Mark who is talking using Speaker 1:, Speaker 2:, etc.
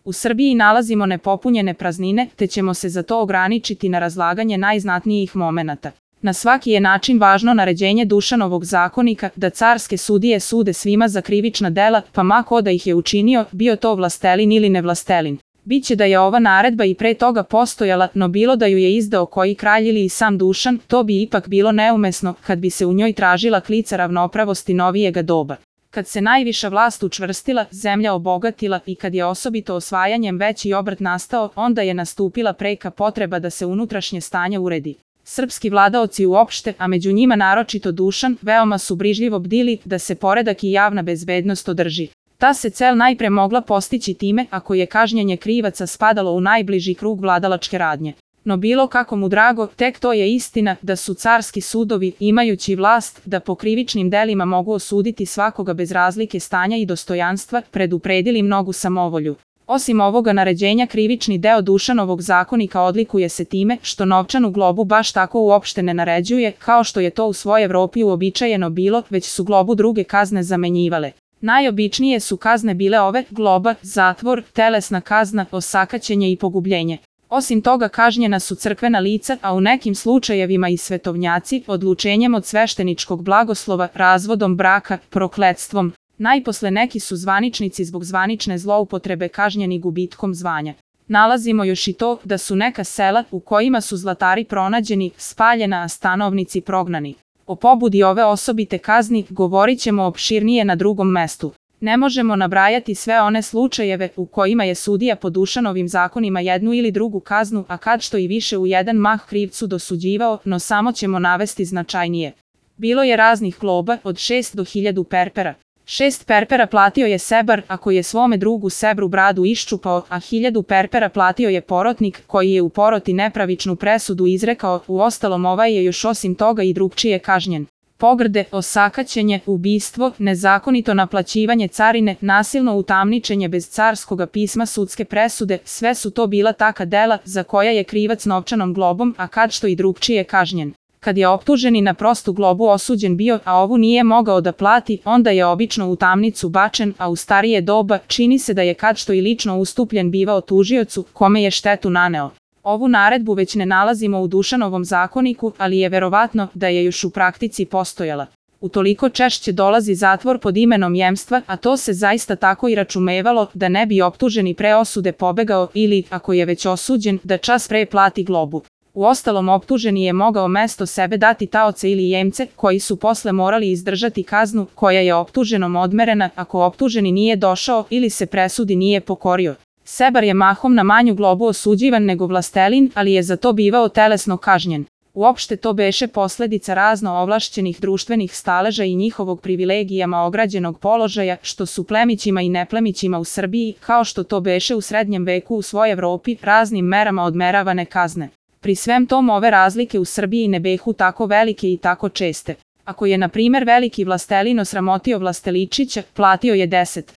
Speaker 1: U Srbiji nalazimo nepopunjene praznine, te ćemo se za to ograničiti na razlaganje najznatnijih momenata. Na svaki je način važno naređenje Dušanovog zakonika da carske sudije sude svima za krivična dela, pa ma ko da ih je učinio, bio to vlastelin ili nevlastelin. Biće da je ova naredba i pre toga postojala, no bilo da ju je izdao koji kralj ili i sam Dušan, to bi ipak bilo neumesno kad bi se u njoj tražila klica ravnopravosti novijega doba. Kad se najviša vlast učvrstila, zemlja obogatila i kad je osobito osvajanjem veći obrt nastao, onda je nastupila preka potreba da se unutrašnje stanje uredi. Srpski vladaoci uopšte, a među njima naročito Dušan, veoma su brižljivo bdili da se poredak i javna bezbednost održi. Ta se cel najpre mogla postići time ako je kažnjenje krivaca spadalo u najbliži krug vladalačke radnje. No bilo kako mu drago, tek to je istina da su carski sudovi, imajući vlast da po krivičnim delima mogu osuditi svakoga bez razlike stanja i dostojanstva, predupredili mnogu samovolju. Osim ovoga naređenja, krivični deo Dušanovog zakonika odlikuje se time što novčanu globu baš tako uopšte ne naređuje, kao što je to u svojoj Evropi uobičajeno bilo, već su globu druge kazne zamenjivale. Najobičnije su kazne bile ove: globa, zatvor, telesna kazna, osakaćenje i pogubljenje. Osim toga kažnjena su crkvena lica, a u nekim slučajevima i svetovnjaci, odlučenjem od svešteničkog blagoslova, razvodom braka, prokletstvom. Najposle neki su zvaničnici zbog zvanične zloupotrebe kažnjeni gubitkom zvanja. Nalazimo još i to da su neka sela u kojima su zlatari pronađeni, spaljena, a stanovnici prognani. O pobudi ove osobite kazni govorit ćemo opširnije na drugom mestu. Ne možemo nabrajati sve one slučajeve u kojima je sudija po Dušanovim zakonima jednu ili drugu kaznu, a kad što i više u jedan mah krivcu dosuđivao, no samo ćemo navesti značajnije. Bilo je raznih globa, od 6 do 1000 perpera. 6 perpera platio je sebar ako je svome drugu sebru bradu iščupao, a 1000 perpera platio je porotnik koji je u poroti nepravičnu presudu izrekao, uostalom ovaj je još osim toga i drugčije kažnjen. Pogrde, osakaćenje, ubistvo, nezakonito naplaćivanje carine, nasilno utamničenje bez carskoga pisma sudske presude, sve su to bila taka dela za koja je krivac novčanom globom, a kad što i drugčije kažnjen. Kad je optuženi na prostu globu osuđen bio, a ovu nije mogao da plati, onda je obično u tamnicu bačen, a u starije doba čini se da je kad što i lično ustupljen bivao tužiocu, kome je štetu naneo. Ovu naredbu već ne nalazimo u Dušanovom zakoniku, ali je verovatno da je još u praktici postojala. Utoliko češće dolazi zatvor pod imenom jemstva, a to se zaista tako i računevalo da ne bi optuženi pre osude pobegao ili, ako je već osuđen, da čas pre plati globu. Uostalom optuženi je mogao mesto sebe dati taoce ili jemce, koji su posle morali izdržati kaznu koja je optuženom odmerena ako optuženi nije došao ili se presudi nije pokorio. Sebar je mahom na manju globu osuđivan nego vlastelin, ali je za to bivao telesno kažnjen. Uopšte to beše posledica razno ovlašćenih društvenih staleža i njihovog privilegijama ograđenog položaja, što su plemićima i neplemićima u Srbiji, kao što to beše u srednjem veku u svojoj Evropi, raznim merama odmeravane kazne. Pri svem tom ove razlike u Srbiji ne behu tako velike i tako česte. Ako je na primer veliki vlastelin osramotio vlasteličića, platio je 10